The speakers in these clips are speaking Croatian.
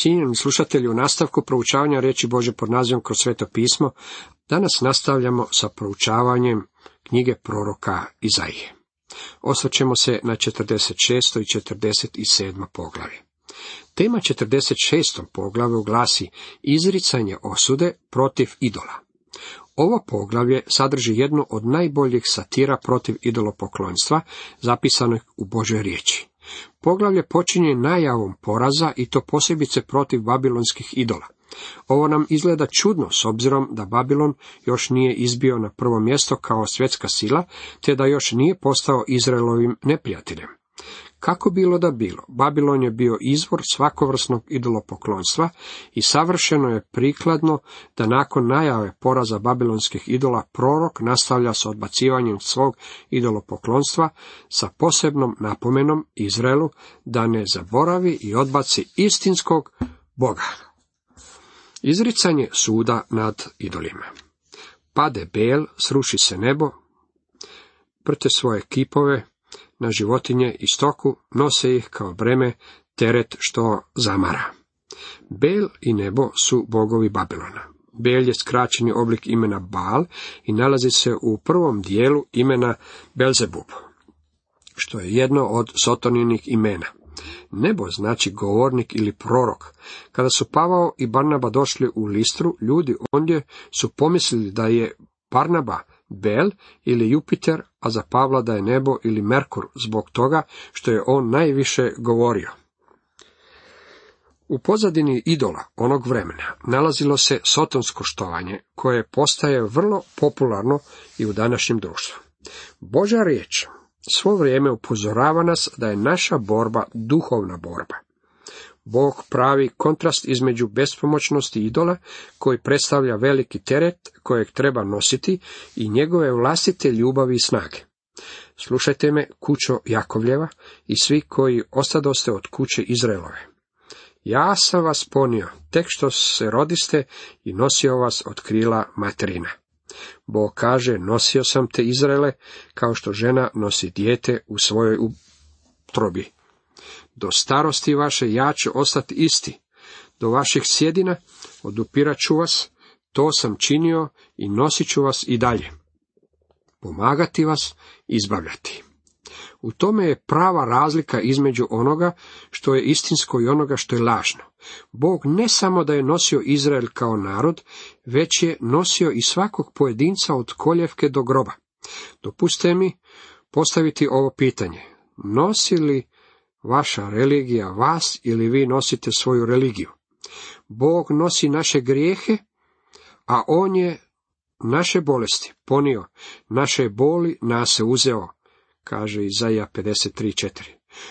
Cijenjeni slušatelji, u nastavku proučavanja riječi Božje pod nazivom Kroz sveto pismo, danas nastavljamo sa proučavanjem knjige proroka Izaije. Osvrćemo se na 46. i 47. poglavlje. Tema 46. poglavlju glasi izricanje osude protiv idola. Ovo poglavlje sadrži jednu od najboljih satira protiv idolopoklonstva zapisanih u Božoj riječi. Poglavlje počinje najavom poraza i to posebice protiv babilonskih idola. Ovo nam izgleda čudno s obzirom da Babilon još nije izbio na prvo mjesto kao svjetska sila, te da još nije postao Izraelovim neprijateljem. Kako bilo da bilo, Babilon je bio izvor svakovrsnog idolopoklonstva i savršeno je prikladno da nakon najave poraza babilonskih idola prorok nastavlja s odbacivanjem svog idolopoklonstva sa posebnom napomenom Izraelu da ne zaboravi i odbaci istinskog Boga. Izricanje suda nad idolima. Pade Bel, sruši se nebo, prte svoje kipove na životinje i stoku, nose ih kao breme, teret što zamara. Bel i nebo su bogovi Babilona. Bel je skraćeni oblik imena Baal i nalazi se u prvom dijelu imena Belzebub, što je jedno od Sotoninih imena. Nebo znači govornik ili prorok. Kada su Pavao i Barnaba došli u Listru, ljudi ondje su pomislili da je Barnaba Bel ili Jupiter, a za Pavla da je nebo ili Merkur, zbog toga što je on najviše govorio. U pozadini idola onog vremena nalazilo se sotonsko štovanje, koje postaje vrlo popularno i u današnjem društvu. Božja riječ svo vrijeme upozorava nas da je naša borba duhovna borba. Bog pravi kontrast između bespomoćnosti idola, koji predstavlja veliki teret kojeg treba nositi, i njegove vlastite ljubavi i snage. Slušajte me, kućo Jakovljeva i svi koji ostadoste od kuće Izraelove. Ja sam vas ponio, tek što se rodiste, i nosio vas od krila materina. Bog kaže, nosio sam te Izraele, kao što žena nosi dijete u svojoj utrobi. Do starosti vaše ja ću ostati isti, do vaših sjedina odupirat ću vas, to sam činio i nosit ću vas i dalje. Pomagati vas, izbavljati. U tome je prava razlika između onoga što je istinsko i onoga što je lažno. Bog ne samo da je nosio Izrael kao narod, već je nosio i svakog pojedinca od koljevke do groba. Dopustite mi postaviti ovo pitanje. Nosi li vaša religija vas ili vi nosite svoju religiju? Bog nosi naše grijehe, a on je naše bolesti ponio, naše boli nas se uzeo, kaže Izaija 53:4.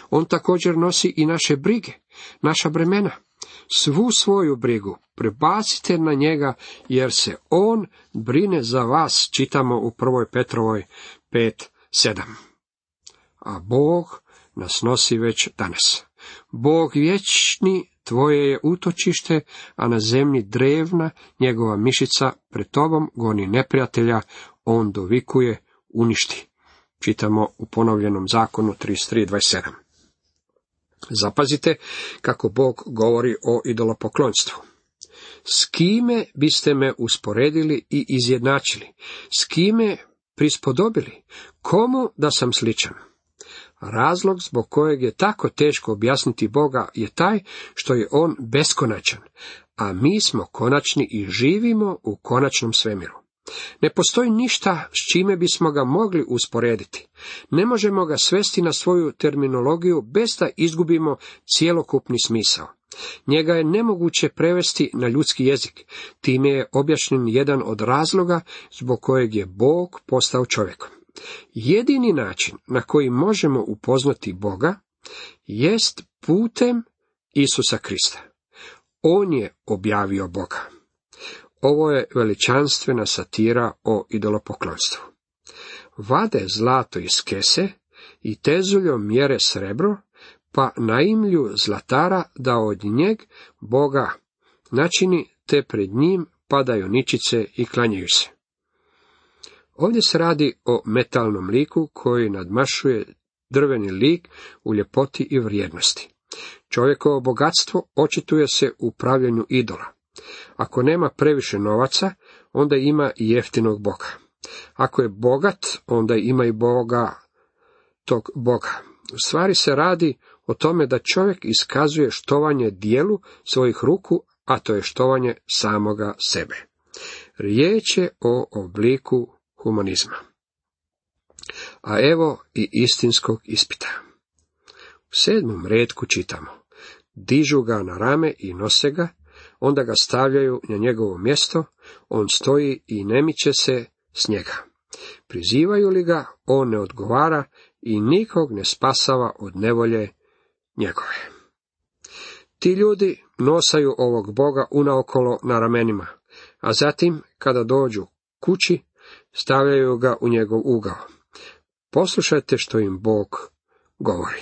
On također nosi i naše brige, naša bremena. Svu svoju brigu prebacite na njega, jer se on brine za vas, čitamo u 1. Petrovoj 5:7. A Bog nas nosi već danas. Bog vječni tvoje je utočište, a na zemlji drevna njegova mišica, pred tobom goni neprijatelja, on dovikuje, uništi. Čitamo u Ponovljenom zakonu 33:27. Zapazite kako Bog govori o idolopoklonstvu. S kime biste me usporedili i izjednačili? S kime prispodobili? Komu da sam sličan? Razlog zbog kojeg je tako teško objasniti Boga je taj što je on beskonačan, a mi smo konačni i živimo u konačnom svemiru. Ne postoji ništa s čime bismo ga mogli usporediti. Ne možemo ga svesti na svoju terminologiju bez da izgubimo cjelokupni smisao. Njega je nemoguće prevesti na ljudski jezik. Time je objašnjen jedan od razloga zbog kojeg je Bog postao čovjekom. Jedini način na koji možemo upoznati Boga jest putem Isusa Krista. On je objavio Boga. Ovo je veličanstvena satira o idolopoklonstvu. Vade zlato iz kese i tezuljom mjere srebro, pa naimlju zlatara da od njeg Boga načini, te pred njim padaju ničice i klanjaju se. Ovdje se radi o metalnom liku koji nadmašuje drveni lik u ljepoti i vrijednosti. Čovjekovo bogatstvo očituje se u pravljenju idola. Ako nema previše novaca, onda ima i jeftinog Boga. Ako je bogat, onda ima i Boga tog Boga. U stvari se radi o tome da čovjek iskazuje štovanje dijelu svojih ruku, a to je štovanje samoga sebe. Riječ je o obliku humanizma. A evo i istinskog ispita. U 7. retku čitamo: dižu ga na rame i nose ga, onda ga stavljaju na njegovo mjesto, on stoji i ne miče se s njega. Prizivaju li ga, on ne odgovara i nikog ne spasava od nevolje njegove. Ti ljudi nosaju ovog Boga unaokolo na ramenima, a zatim, kada dođu kući, stavljaju ga u njegov ugao. Poslušajte što im Bog govori.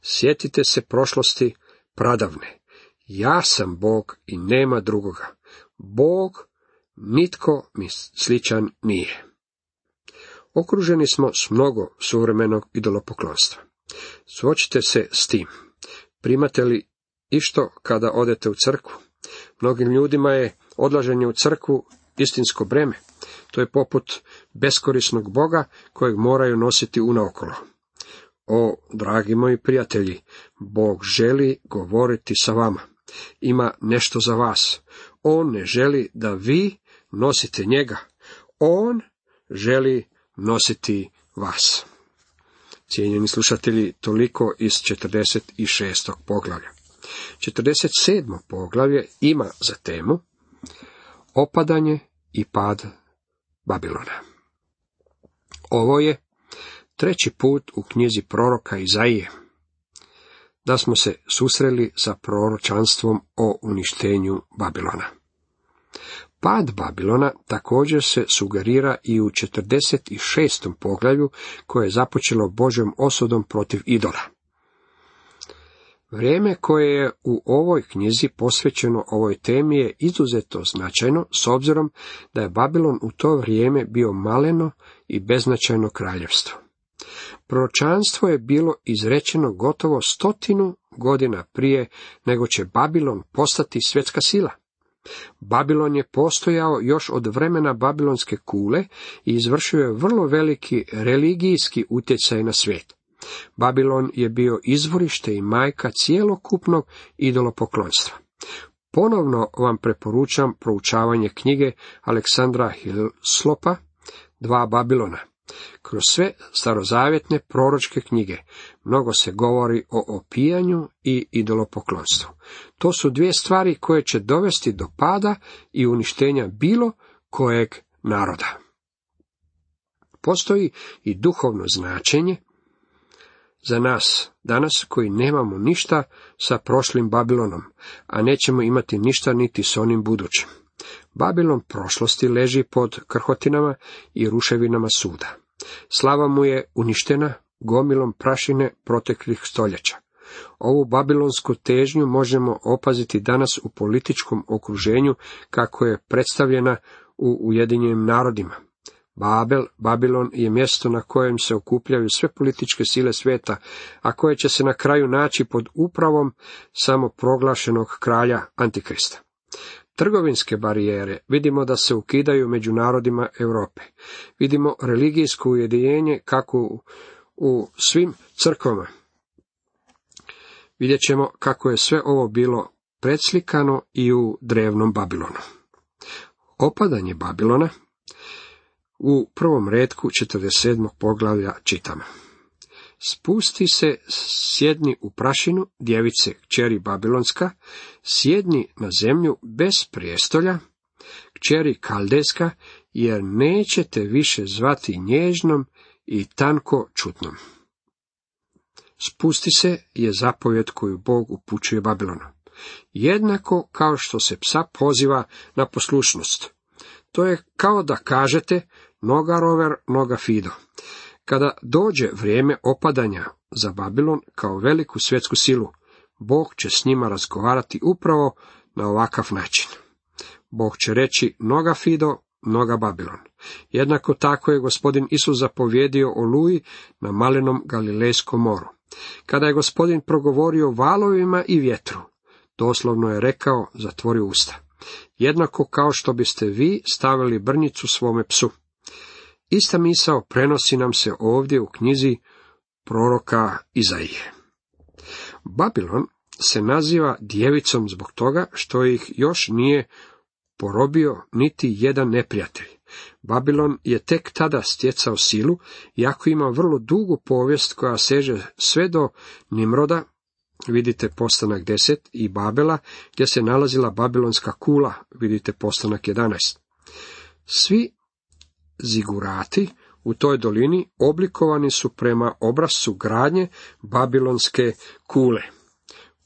Sjetite se prošlosti pradavne. Ja sam Bog i nema drugoga. Bog, nitko mi sličan nije. Okruženi smo s mnogo suvremenog idolopoklonstva. Suočite se s tim. Primate li išto kada odete u crkvu? Mnogim ljudima je odlaženje u crkvu istinsko breme. To je poput beskorisnog Boga kojeg moraju nositi unaokolo. O, dragi moji prijatelji, Bog želi govoriti sa vama. Ima nešto za vas. On ne želi da vi nosite njega. On želi nositi vas. Cijenjeni slušatelji, toliko iz 46. poglavlja. 47. poglavlje ima za temu opadanje i pad Babilona. Ovo je 3. put u knjizi proroka Izaije da smo se susreli sa proročanstvom o uništenju Babilona. Pad Babilona također se sugerira i u 46. poglavlju koje je započelo Božjom osudom protiv idola. Vrijeme koje je u ovoj knjizi posvećeno ovoj temi je izuzetno značajno s obzirom da je Babilon u to vrijeme bio maleno i beznačajno kraljevstvo. Proročanstvo je bilo izrečeno gotovo 100 godina prije nego će Babilon postati svjetska sila. Babilon je postojao još od vremena Babilonske kule i izvršio je vrlo veliki religijski utjecaj na svijet. Babilon je bio izvorište i majka cjelokupnog idolopoklonstva. Ponovno vam preporučam proučavanje knjige Aleksandra Hillslopa 2 Babilona. Kroz sve starozavjetne proročke knjige mnogo se govori o opijanju i idolopoklonstvu. To su 2 stvari koje će dovesti do pada i uništenja bilo kojeg naroda. Postoji i duhovno značenje za nas danas koji nemamo ništa sa prošlim Babilonom, a nećemo imati ništa niti s onim budućim. Babilon prošlosti leži pod krhotinama i ruševinama suda. Slava mu je uništena gomilom prašine proteklih stoljeća. Ovu babilonsku težnju možemo opaziti danas u političkom okruženju kako je predstavljena u Ujedinjenim narodima. Babilon je mjesto na kojem se okupljaju sve političke sile svijeta, a koje će se na kraju naći pod upravom samoproglašenog kralja Antikrista. Trgovinske barijere vidimo da se ukidaju među narodima Europe. Vidimo religijsko ujedinjenje kako u svim crkvama. Vidjet ćemo kako je sve ovo bilo predslikano i u drevnom Babilonu. Opadanje Babilona u 1. retku 47. poglavlja čitamo. Spusti se, sjedni u prašinu, djevice kćeri Babilonska, sjedni na zemlju bez prijestolja, kćeri Kaldejska, jer nećete više zvati nježnom i tanko čutnom. Spusti se je zapovjed koju Bog upućuje Babilonu. Jednako kao što se psa poziva na poslušnost. To je kao da kažete noga rover, noga fido. Kada dođe vrijeme opadanja za Babilon kao veliku svjetsku silu, Bog će s njima razgovarati upravo na ovakav način. Bog će reći noga fido, noga Babilon. Jednako tako je gospodin Isus zapovjedio Oluji na malenom Galilejskom moru. Kada je Gospodin progovorio valovima i vjetru, doslovno je rekao, zatvori usta. Jednako kao što biste vi stavili brnjicu svome psu. Ista misao prenosi nam se ovdje u knjizi proroka Izaije. Babilon se naziva djevicom zbog toga što ih još nije porobio niti jedan neprijatelj. Babilon je tek tada stjecao silu, iako ima vrlo dugu povijest koja seže sve do Nimroda, vidite Postanak 10, i Babela, gdje se nalazila babilonska kula, vidite Postanak 11. Svi zigurati u toj dolini oblikovani su prema obrascu gradnje babilonske kule.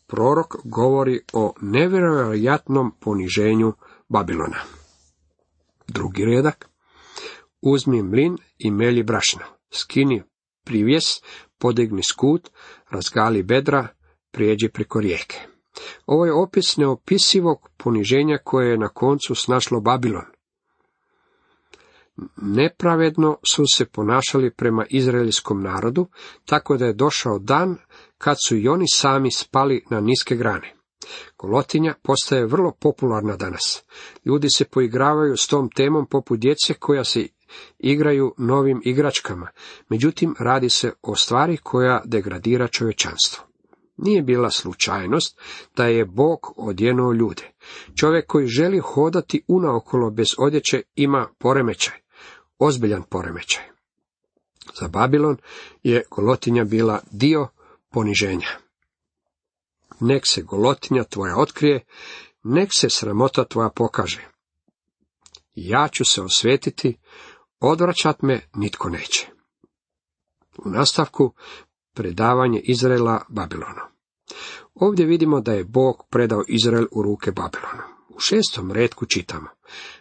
Prorok govori o nevjerojatnom poniženju Babilona. Drugi redak. Uzmi mlin i melji brašno, skini privjes, podigni skut, razgali bedra, prijeđi preko rijeke. Ovo je opis neopisivog poniženja koje je na koncu snašlo Babilon. Nepravedno su se ponašali prema izraelskom narodu, tako da je došao dan kad su i oni sami spali na niske grane. Golotinja postaje vrlo popularna danas. Ljudi se poigravaju s tom temom poput djece koja se igraju novim igračkama, međutim radi se o stvari koja degradira čovječanstvo. Nije bila slučajnost da je Bog odjenuo ljude. Čovjek koji želi hodati unaokolo bez odjeće ima poremećaj, ozbiljan poremećaj. Za Babilon je golotinja bila dio poniženja. Nek se golotinja tvoja otkrije, nek se sramota tvoja pokaže. Ja ću se osvetiti, odvraćat me nitko neće. U nastavku predavanje Izraela Babilonu. Ovdje vidimo da je Bog predao Izrael u ruke Babilonu. U 6. retku čitamo: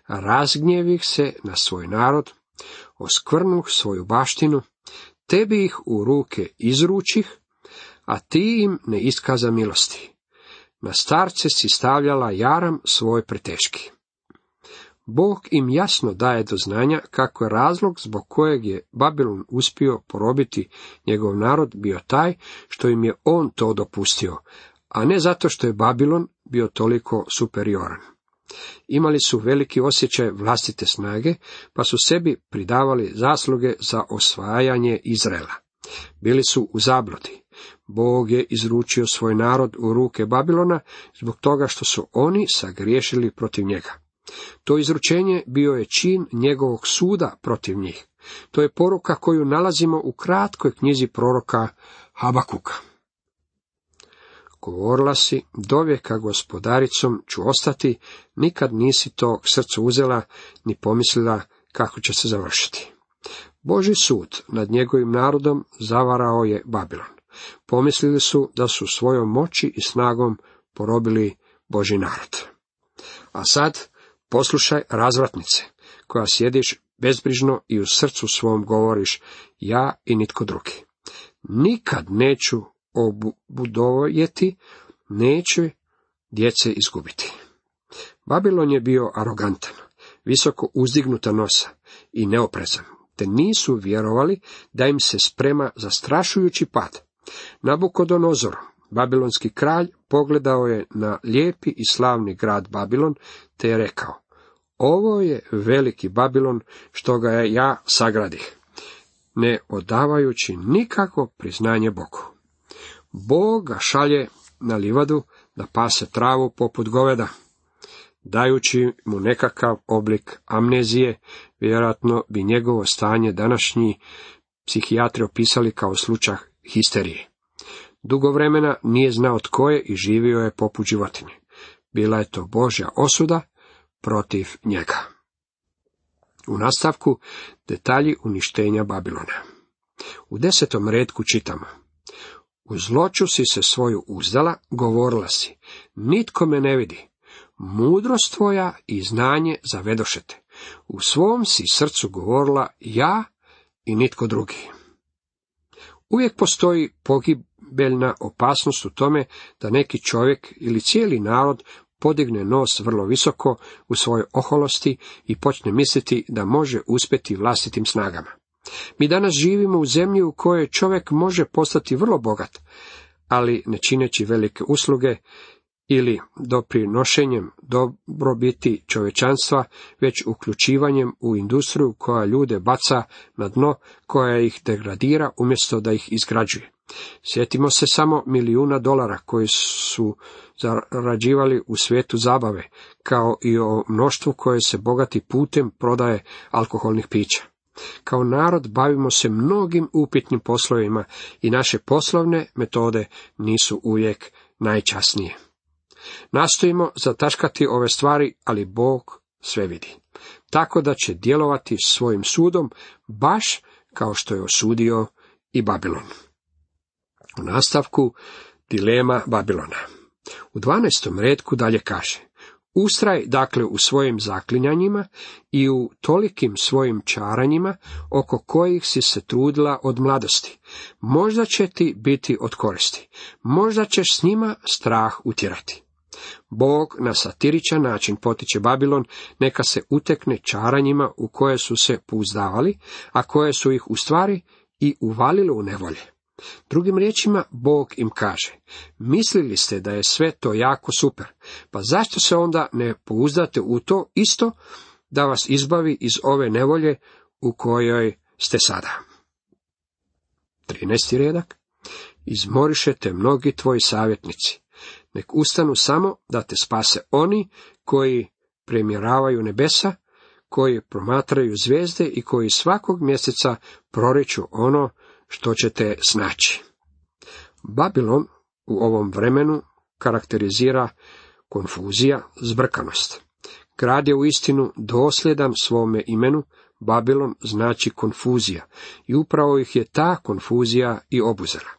razgnjevih se na svoj narod, oskvrnuh svoju baštinu, tebi ih u ruke izručih, a ti im ne iskaza milosti. Na starce si stavljala jaram svoj preteški. Bog im jasno daje do znanja kako je razlog zbog kojeg je Babilon uspio porobiti njegov narod bio taj što im je on to dopustio, a ne zato što je Babilon bio toliko superioran. Imali su veliki osjećaj vlastite snage, pa su sebi pridavali zasluge za osvajanje Izraela. Bili su u zabludi. Bog je izručio svoj narod u ruke Babilona zbog toga što su oni sagriješili protiv njega. To izručenje bio je čin njegovog suda protiv njih. To je poruka koju nalazimo u kratkoj knjizi proroka Habakuka. Govorila si, dovijeka gospodaricom ću ostati, nikad nisi to k srcu uzela, ni pomislila kako će se završiti. Božji sud nad njegovim narodom zavarao je Babilon. Pomislili su da su svojom moći i snagom porobili Božji narod. A sad poslušaj razvratnice, koja sjediš bezbrižno i u srcu svom govoriš, ja i nitko drugi. Nikad neću obudovjeti, neće djece izgubiti. Babilon je bio arogantan, visoko uzdignuta nosa i neoprezan, te nisu vjerovali da im se sprema zastrašujući pad. Nabukodonozor, babilonski kralj, pogledao je na lijepi i slavni grad Babilon, te je rekao: ovo je veliki Babilon što ga ja sagradih, ne odavajući nikakvo priznanje Bogu. Bog ga šalje na livadu da pase travu poput goveda, dajući mu nekakav oblik amnezije. Vjerojatno bi njegovo stanje današnji psihijatri opisali kao slučaj histerije. Dugo vremena nije znao tko je i živio je poput životinje. Bila je to Božja osuda protiv njega. U nastavku detalji uništenja Babilona. U 10. retku čitamo: u zloću si se svoju uzdala, govorila si, nitko me ne vidi, mudrost tvoja i znanje zavedošete. U svom si srcu govorila, ja i nitko drugi. Uvijek postoji pogibeljna opasnost u tome da neki čovjek ili cijeli narod podigne nos vrlo visoko u svojoj oholosti i počne misliti da može uspjeti vlastitim snagama. Mi danas živimo u zemlji u kojoj čovjek može postati vrlo bogat, ali ne čineći velike usluge ili doprinošenjem dobrobiti čovječanstva, već uključivanjem u industriju koja ljude baca na dno, koja ih degradira umjesto da ih izgrađuje. Sjetimo se samo milijuna dolara koji su zarađivali u svijetu zabave, kao i o mnoštvu koje se bogati putem prodaje alkoholnih pića. Kao narod bavimo se mnogim upitnim poslovima i naše poslovne metode nisu uvijek najčasnije. Nastojimo zataškati ove stvari, ali Bog sve vidi, tako da će djelovati svojim sudom, baš kao što je osudio i Babilon. U nastavku dilema Babilona. U 12. retku dalje kaže: ustraj dakle u svojim zaklinjanjima i u tolikim svojim čaranjima oko kojih si se trudila od mladosti. Možda će ti biti od koristi, možda ćeš s njima strah utjerati. Bog na satiričan način potiče Babilon neka se utekne čaranjima u koje su se pouzdavali, a koje su ih u stvari i uvalile u nevolje. Drugim riječima, Bog im kaže: mislili ste da je sve to jako super, pa zašto se onda ne pouzdate u to isto da vas izbavi iz ove nevolje u kojoj ste sada? 13. redak. Izmorišete mnogi tvoji savjetnici, nek ustanu samo da te spase oni koji premjeravaju nebesa, koji promatraju zvijezde i koji svakog mjeseca proriču ono što ćete snaći. Babilon u ovom vremenu karakterizira konfuzija, zbrkanost. Grad je uistinu dosljedan svome imenu. Babilon znači konfuzija i upravo ih je ta konfuzija i obuzela.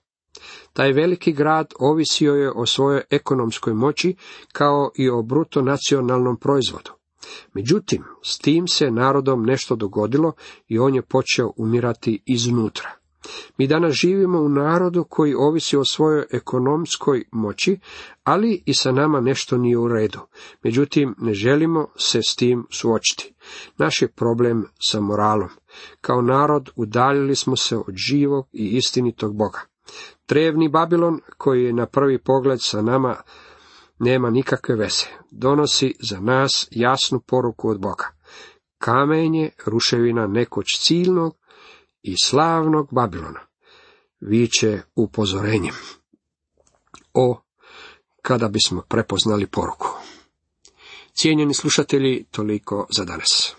Taj veliki grad ovisio je o svojoj ekonomskoj moći kao i o bruto nacionalnom proizvodu. Međutim, s tim se narodom nešto dogodilo i on je počeo umirati iznutra. Mi danas živimo u narodu koji ovisi o svojoj ekonomskoj moći, ali i sa nama nešto nije u redu. Međutim, ne želimo se s tim suočiti. Naš je problem sa moralom. Kao narod udaljili smo se od živog i istinitog Boga. Drevni Babilon, koji je na prvi pogled sa nama nema nikakve veze, donosi za nas jasnu poruku od Boga. Kamen je ruševina nekoć ciljnog i slavnog Babilona. Viče upozorenjem. O, kada bismo prepoznali poruku. Cijenjeni slušatelji, toliko za danas.